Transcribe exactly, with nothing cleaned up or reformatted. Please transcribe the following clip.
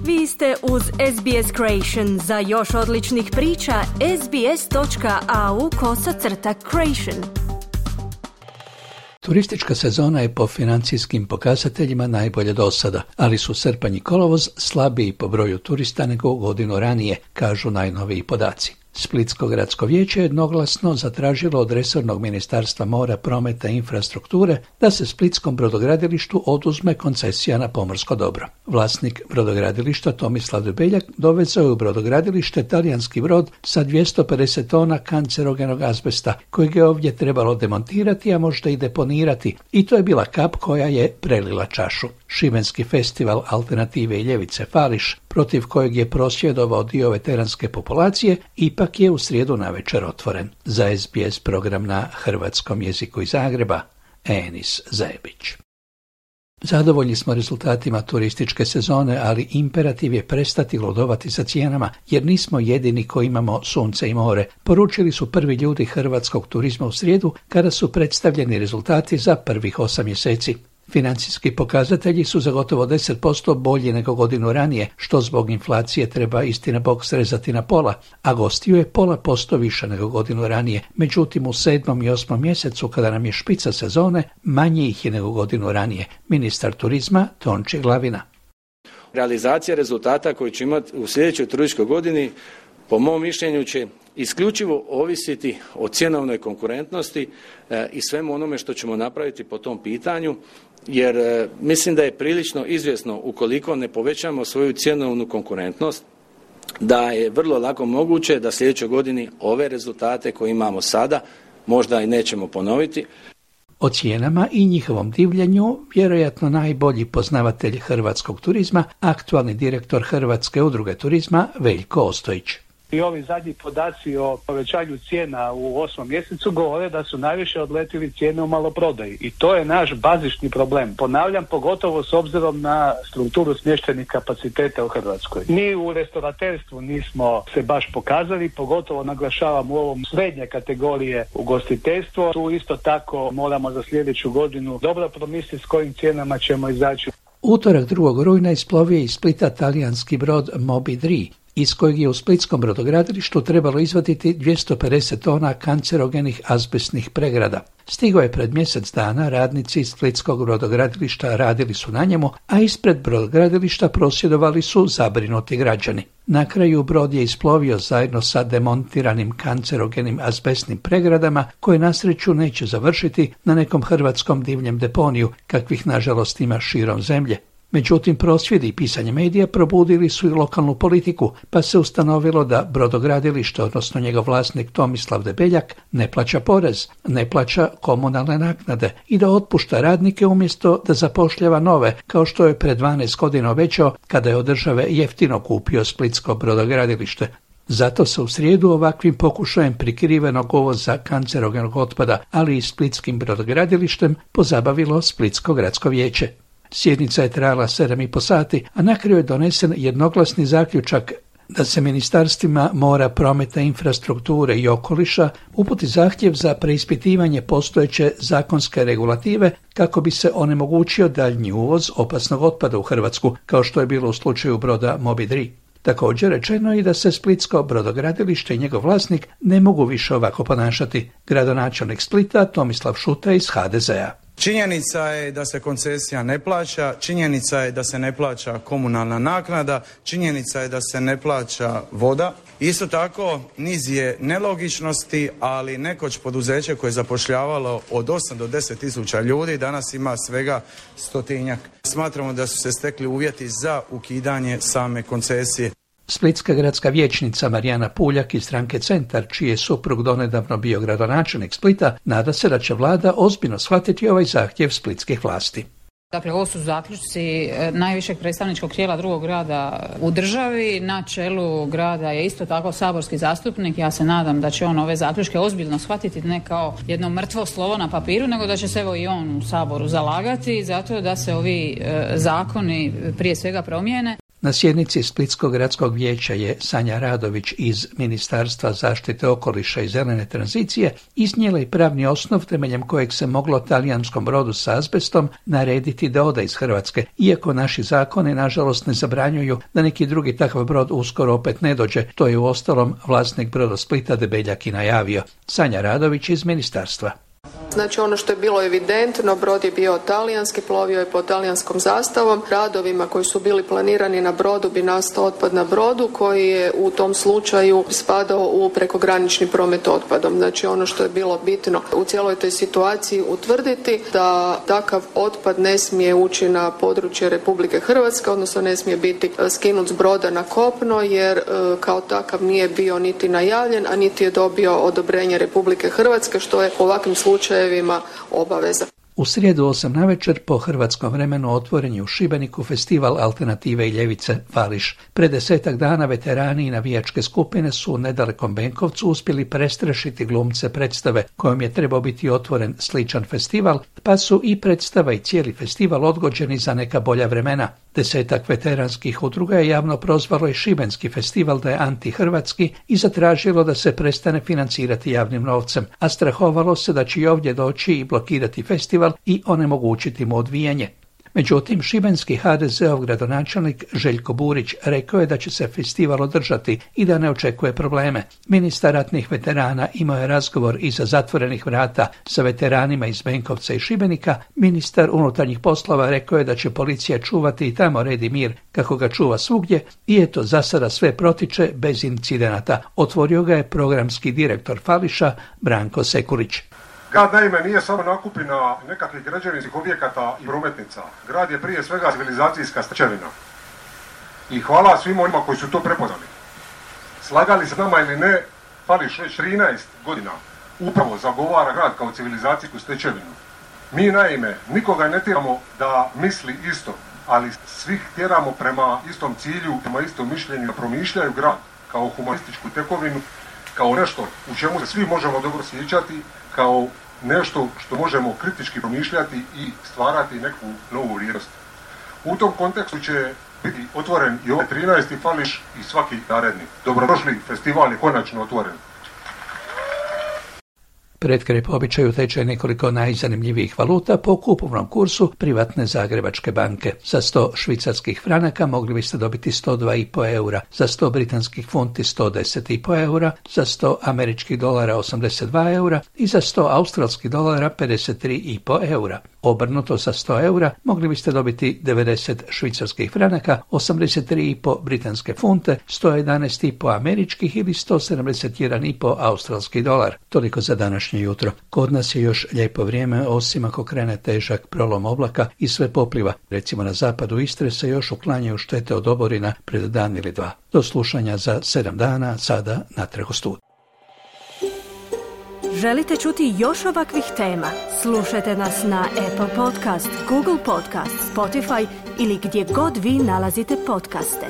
Vi ste uz S B S Creation. Za još odličnih priča, sbs.au kosacrta creation. Turistička sezona je po financijskim pokazateljima najbolje do sada, ali su srpanj i kolovoz slabiji po broju turista nego godinu ranije, kažu najnoviji podaci. Splitsko gradsko vijeće je jednoglasno zatražilo od resornog ministarstva mora, prometa i infrastrukture da se splitskom brodogradilištu oduzme koncesija na pomorsko dobro. Vlasnik brodogradilišta Tomislav Debeljak dovezao je u brodogradilište talijanski brod sa dvjesto pedeset tona kancerogenog azbesta, kojeg je ovdje trebalo demontirati, a možda i deponirati, i to je bila kap koja je prelila čašu. Šibenski festival alternative i ljevice Fališ, protiv kojeg je prosvjedovao dio veteranske populacije, ipak je u srijedu navečer otvoren. Za S B S program na hrvatskom jeziku iz Zagreba, Enis Zajebić. Zadovoljni smo rezultatima turističke sezone, ali imperativ je prestati ludovati sa cijenama, jer nismo jedini koji imamo sunce i more, poručili su prvi ljudi hrvatskog turizma u srijedu kada su predstavljeni rezultati za prvih osam mjeseci. Financijski pokazatelji su za gotovo deset posto bolji nego godinu ranije, što zbog inflacije treba istina bog srezati na pola, a gostiju je pola posto više nego godinu ranije. Međutim, u sedmom i osmom mjesecu, kada nam je špica sezone, manje ih je nego godinu ranije. Ministar turizma Tonči Glavina. Realizacija rezultata koji će imati u sljedećoj turističkoj godini, po mom mišljenju, će isključivo ovisiti o cjenovnoj konkurentnosti e, i svemu onome što ćemo napraviti po tom pitanju, jer e, mislim da je prilično izvjesno, ukoliko ne povećamo svoju cjenovnu konkurentnost, da je vrlo lako moguće da sljedećoj godini ove rezultate koje imamo sada možda i nećemo ponoviti. O cijenama i njihovom divljenju vjerojatno najbolji poznavatelj hrvatskog turizma, aktualni direktor Hrvatske udruge turizma Veljko Ostojić. I ovi zadnji podaci o povećanju cijena u osmom mjesecu govore da su najviše odletili cijene u maloprodaji. I to je naš bazični problem. Ponavljam, pogotovo s obzirom na strukturu smještajnih kapaciteta u Hrvatskoj. Mi u restauraterstvu nismo se baš pokazali, pogotovo naglašavam u ovom srednje kategorije ugostiteljstvo. Tu isto tako moramo za sljedeću godinu dobro promisliti s kojim cijenama ćemo izaći. Utorak drugog rujna isplovio je iz Splita talijanski brod Moby tri, iz kojeg je u splitskom brodogradilištu trebalo izvaditi dvjesto pedeset tona kancerogenih azbestnih pregrada. Stigao je pred mjesec dana, radnici iz splitskog brodogradilišta radili su na njemu, a ispred brodogradilišta prosvjedovali su zabrinuti građani. Na kraju brod je isplovio zajedno sa demontiranim kancerogenim azbestnim pregradama, koje na sreću neće završiti na nekom hrvatskom divljem deponiju, kakvih nažalost ima širom zemlje. Međutim, prosvjedi i pisanje medija probudili su i lokalnu politiku, pa se ustanovilo da brodogradilište, odnosno njegov vlasnik Tomislav Debeljak, ne plaća porez, ne plaća komunalne naknade i da otpušta radnike umjesto da zapošljava nove, kao što je pred dvanaest godina obećao kada je od države jeftino kupio splitsko brodogradilište. Zato se u srijedu ovakvim pokušajem prikrivenog uvoza kancerogenog otpada, ali i splitskim brodogradilištem, pozabavilo Splitsko gradsko vijeće. Sjednica je trajala sedam i po sati, a na kraju je donesen jednoglasni zaključak da se ministarstvima mora, prometa, infrastrukture i okoliša uputi zahtjev za preispitivanje postojeće zakonske regulative kako bi se onemogućio daljnji uvoz opasnog otpada u Hrvatsku, kao što je bilo u slučaju broda Moby tri. Također rečeno je i da se splitsko brodogradilište i njegov vlasnik ne mogu više ovako ponašati. Gradonačelnik Splita Tomislav Šuta iz H D Z-a. Činjenica je da se koncesija ne plaća, činjenica je da se ne plaća komunalna naknada, činjenica je da se ne plaća voda. Isto tako, niz je nelogičnosti, ali nekoć poduzeće koje je zapošljavalo od osam do deset tisuća ljudi, danas ima svega stotinjak. Smatramo da su se stekli uvjeti za ukidanje same koncesije. Splitska gradska vijećnica Marijana Puljak iz stranke Centar, čiji je suprug donedavno bio gradonačelnik Splita, nada se da će vlada ozbiljno shvatiti ovaj zahtjev splitskih vlasti. Dakle, ovo su zaključci najvišeg predstavničkog tijela drugog grada u državi. Na čelu grada je isto tako saborski zastupnik. Ja se nadam da će on ove zaključke ozbiljno shvatiti, ne kao jedno mrtvo slovo na papiru, nego da će se evo i on u Saboru zalagati zato da se ovi e, zakoni prije svega promijene. Na sjednici Splitskog gradskog vijeća je Sanja Radović iz Ministarstva zaštite okoliša i zelene tranzicije iznijela i pravni osnov temeljem kojeg se moglo talijanskom brodu sa azbestom narediti da ode iz Hrvatske, iako naši zakoni nažalost ne zabranjuju da neki drugi takav brod uskoro opet ne dođe. To je uostalom vlasnik Brodosplita Debeljak i najavio. Sanja Radović iz Ministarstva. Znači ono što je bilo evidentno, brod je bio talijanski, plovio je pod talijanskom zastavom. Radovima koji su bili planirani na brodu bi nastao otpad na brodu koji je u tom slučaju spadao u prekogranični promet otpadom. Znači ono što je bilo bitno u cijeloj toj situaciji utvrditi da takav otpad ne smije ući na područje Republike Hrvatske, odnosno ne smije biti skinut s broda na kopno jer kao takav nije bio niti najavljen, a niti je dobio odobrenje Republike Hrvatske, što je u ovakvim slučajevima obaveza. U srijedu osam navečer po hrvatskom vremenu otvoren je u Šibeniku festival Alternative i ljevice Fališ. Pred desetak dana veterani i navijačke skupine su u nedalekom Benkovcu uspjeli prestrašiti glumce predstave kojom je trebao biti otvoren sličan festival, pa su i predstava i cijeli festival odgođeni za neka bolja vremena. Desetak veteranskih udruga je javno prozvalo i šibenski festival da je antihrvatski i zatražilo da se prestane financirati javnim novcem, a strahovalo se da će i ovdje doći i blokirati festival i onemogućiti mu odvijanje. Međutim, šibenski ha de ze ov gradonačelnik Željko Burić rekao je da će se festival održati i da ne očekuje probleme. Ministar ratnih veterana imao je razgovor iza zatvorenih vrata sa veteranima iz Benkovca i Šibenika. Ministar unutarnjih poslova rekao je da će policija čuvati i tamo red i mir kako ga čuva svugdje i eto za sada sve protiče bez incidenata. Otvorio ga je programski direktor Fališa Branko Sekulić. Grad naime nije samo nakupina nekakvih građevinskih objekata i prometnica. Grad je prije svega civilizacijska stečevina. I hvala svim onima koji su to prepoznali. Slagali se nama ili ne, Fališ već trinaest godina upravo zagovara grad kao civilizacijsku stečevinu. Mi naime nikoga ne tjeramo da misli isto, ali svih tjeramo prema istom cilju, prema istom mišljenju, da promišljaju grad kao humanističku tekovinu, kao nešto u čemu se svi možemo dobro sjećati, kao nešto što možemo kritički promišljati i stvarati neku novu vrijednost. U tom kontekstu će biti otvoren i ovaj trinaesti Fališ i svaki naredni. Dobrodošli, festival je konačno otvoren. Pred kraj po običaju teče nekoliko najzanimljivijih valuta po kupovnom kursu privatne Zagrebačke banke. Za sto švicarskih franaka mogli biste dobiti sto dva i po eura, za sto britanskih funti sto deset i po eura, za sto američkih dolara osamdeset dva eura i za sto australskih dolara pedeset tri i po eura. Obrnuto za sto eura mogli biste dobiti devedeset švicarskih franaka, osamdeset tri i po britanske funte, sto jedanaest i po američkih ili sto sedamdeset jedan i po australski dolar. Toliko za današnje jutro. Kod nas je još lijepo vrijeme, osim ako krene težak prolom oblaka i sve popliva. Recimo na zapadu Istre se još uklanjaju štete od oborina pred dan ili dva. Do slušanja za sedam dana, sada natrag u studiju. Želite čuti još ovakvih tema? Slušajte nas na Apple Podcast, Google Podcast, Spotify ili gdje god vi nalazite podcaste.